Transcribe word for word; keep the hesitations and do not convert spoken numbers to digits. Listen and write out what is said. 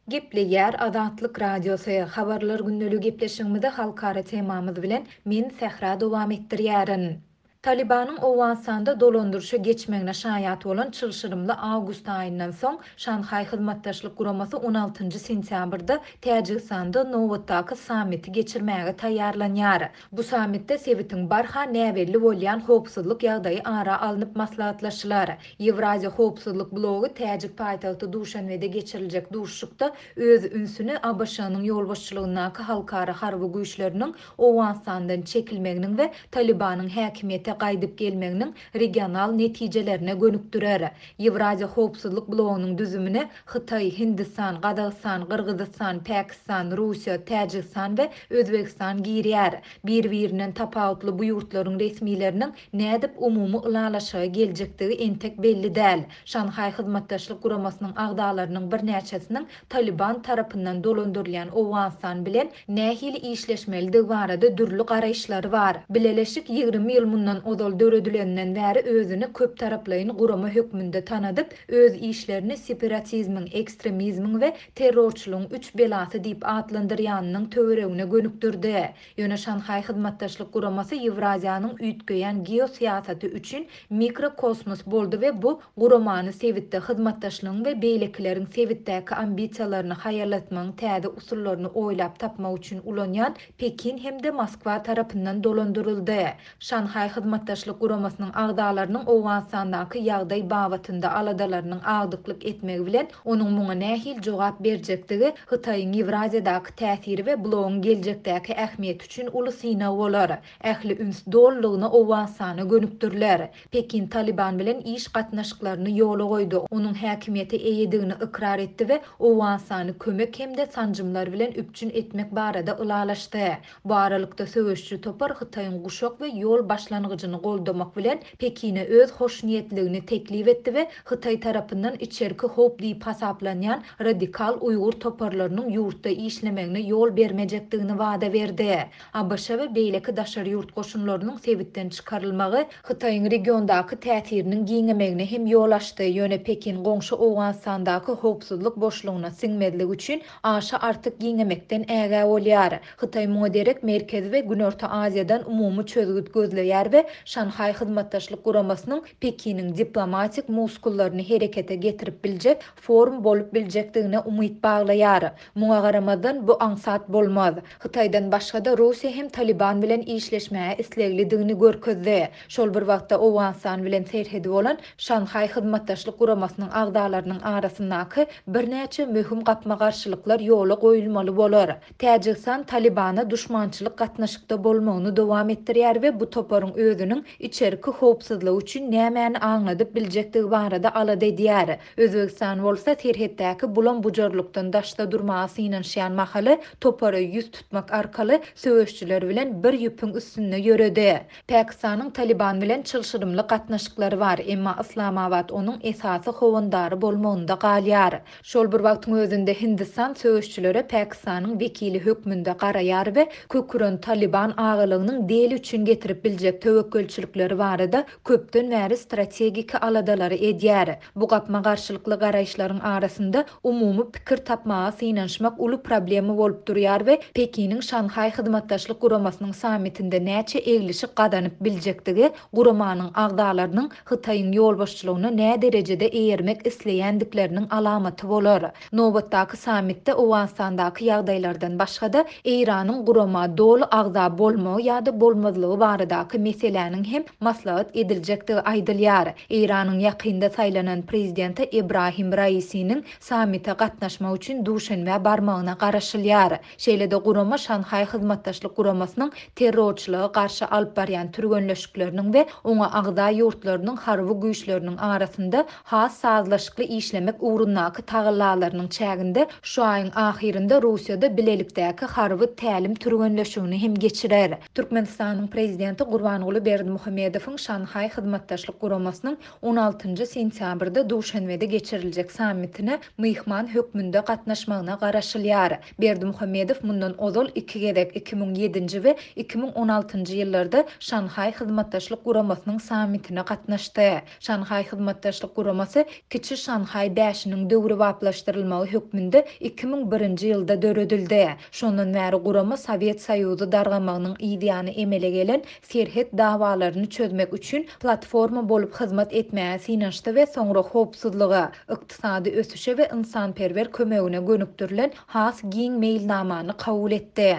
Gepleýär Azatlyk Radiosy, Habarlar gündeligi gepleşigimizi halkara temamyz bilen men Sähra dowam etdirýärin. Talybanyň Owganystanda dolandyryşa geçmegine şaýat bolan çylşyrymly awgust aýyndan soň, Şanhaý Hyzmatdaşlyk Guramasy on altynjy sentýabrda Täjigistanda nobatdaky sammiti geçirmäge taýýarlanýar. Bu sammitde sebitiň barha näbelli bolýan howpsuzlyk ýagdaýy ara alnyp maslahatlaşylar. Ýewraziýa howpsuzlyk blogy täjik paýtagty Duşanbede geçiriljek duşuşykda öz ünsüni A B Ş-nyň ýolbaşçylygyndaky halkara harby güýçleriniň Owganystandan çekilmeginiň we Talybanyň häkimiýete gaýdyp gelmeginiň regional netijelerine gönükdirer. Ýewraziýa howpsuzlyk blogynyň düzümine Hytaý, Hindistan, Gazagystan, Gyrgyzystan, Pakistan, Russiýa, Täjigistan we Özbegistan girýär. Bir-birinden tapawutly bu ýurtlaryň resmileriniň nädip umumy ylalaşyga geljekdigi entek belli däl. Şanhaý Hyzmatdaşlyk Guramasynyň agzalarynyň birnäçesiniň Taliban tarapyndan dolandyrylýan Owganystan bilen nähili işleşmelidigi barada dürli garaýyşlary bar. Bileleşik ýigrimi ýyl mundan ozal döredileninden bäri özüni köptaraplaýyn gurama hökmünde tanadyp, öz işlerini separatizmiň, ekstremizmiň we terrorçylygyň üç belasy diýip atlandyrýanynyň töweregine gönükdirdi. Ýöne Şanhaý Hyzmatdaşlyk Guramasy Ýewraziýanyň üýtgeýän geosyýasaty üçin mikrokosmos boldy we bu guramany sebitde hyzmatdaşlygyň we beýlekileriň sebitdäki ambisiýalaryny haýallatmagyň täze usullaryny oýlap tapmak üçin ulanýan Pekin hem-de Moskwa tarapyndan dolandyryldy. Şanhaý Hyzmatdaşlyk Guramasynyň agzalarynyň Owganystandaky ýagdaý babatynda aladalarynyň agdyklyk etmegi bilen onuň muňa nähili jogap berjekdigi Hytaýyň Ýewraziýadaky täsiri we blogyň geljekdäki ähmiýeti üçin uly synag bolar. Ähli üns dolulygyna Owganystana gönükdiriler. Pekin Taliban bilen iş gatnaşyklaryny ýola goýdy, onuň häkimiýete eýedigini ykrar etdi we Owganystany kömek hem-de sanjymlar bilen üpjün etmek barada ylalaşdy. Bu aralykda söweşçi topar Hytaýyň guşak we ýol başlangyjyny goldamak bilen Pekine öz hoşniýetligini teklip etdi we Hytaý tarapyndan içerki howp diýip hasaplanýan radikal uýgur toparlarynyň ýurtda işlemegine ýol bermejekdigini wada berdi. A B Ş we beýleki daşary ýurt goşunlarynyň sebitden çykarylmagy Hytaýyň regiondaky täsiriniň giňemegine hem ýol açdy. Ýöne Pekin goňşy Owganystandaky howpsuzlyk boşlugyna siňmezlik üçin aşa artyk giňemekden ägä bolýar. Hytaý muňa derek Merkezi we Günorta Aziýadan umumy çözgüt gözleýär we Şanhaý Hyzmatdaşlyk Guramasynyň Pekiniň diplomatik muskullaryny herekete getirip biljek forum bolup biljekdigine umyt baglaýar. Muňa garamazdan, bu aňsat bolmaz. Hytaýdan başga-da Russiýa hem Taliban bilen işleşmäge isleglidigini görkezdi. Şol bir wagtda Owganystan bilen serhedi bolan Şanhaý Hyzmatdaşlyk Guramasynyň agzalarynyň arasyndaky birnäçe möhüm gapma-garşylyklar ýola goýulmaly bolar. Täjigistan Talibana duşmançylyk gatnaşykda bolmagyny dowam etdirýär we bu toparyň özüniň içerki howpsuzlygy üçin nämäni aňladyp biljekdigi barada alada edýär. Özbegistan bolsa serhetdäki bulam-bujarlykdan daşda durmaga synanyşýan mahaly topara ýüz tutmak arkaly söweşçiler bilen bir ýüpüň üstünde ýöredi. Pakistanyň Taliban bilen çylşyrymly gatnaşyklary bar, emma Islamabad onuň esasy howandary bolmagynda galýar. Şol bir wagtyň özünde Hindistan söweşçilere Pakistanyň wekili hökmünde garaýar we köküren Taliban agalygynyň Deli üçin getirip biljek töwekgelçilikleri barada köpden bäri strategik aladalary edýär. Bu gapma garşylykly garaýyşlaryň arasynda umumy pikir tapmaga synanyşmak uly problema bolup durýar we Pekiniň Şanhaý Hyzmatdaşlyk Guramasynyň sammitinde näçe eglişik gazanyp biljekdigi guramanyň agzalarynyň Hytaýyň ýolbaşçylygyna nä derejede eýermek isleýändikleriniň alamaty bolar. Nobatdaky sammitde Owganystandaky ýagdaýlardan başga-da Eýranyň gurama doly agza bolmagy ýa-da bolmazlygy baradaky meseläniň hem maslahat ediljekdigi aýdylýar. Eýranyň ýakynda saýlanan prezidenti Ibrahim Raisiniň sammite gatnaşmak üçin Duşenbä barmagyna garaşylýar. Şeýle-de gurama Şanhaý Hyzmatdaşlyk Guramasynyň terrorçylyga garşy alyp barýan türgenleşikleriniň we oňa agza ýurtlarynyň harby güýçleriniň arasynda has sazlaşykly işlemek ugrundaky tagallalarynyň çäginde şu aýyň ahyrynda Russiýada bilelikdäki harby tälim türgenleşigini hem geçirer. Türkmenistanyň prezidenti Gurbanguly Gurbanguly Berdimuhamedowyň Şanhaý Hyzmatdaşlyk Guramasynyň on altynjy sentýabrda Duşanbede geçiriljek sammitine myhman hökmünde gatnaşmagyna garaşylýar. Berdimuhamedow mundan ozal iki gezek, iki müň ýedinji we iki müň on altynjy ýyllarda Şanhaý Hyzmatdaşlyk Guramasynyň sammitine gatnaşdy. Şanhaý Hyzmatdaşlyk Guramasy Kiçi Şanhaý bäşiniň döwrebaplaşdyrylmagy hökmünde iki müň birinji ýylda döredildi. Şondan bäri gurama Sowet Soýuzy dargamagynyň ýany emele gelen serhet dawalaryny çözmek üçin platforma bolup hyzmat etmäge synanyşdy we soňra howpsuzlyga, ykdysady ösüşe we ynsanperwer kömegine gönükdirilen has giň meýilnamany kabul etdi.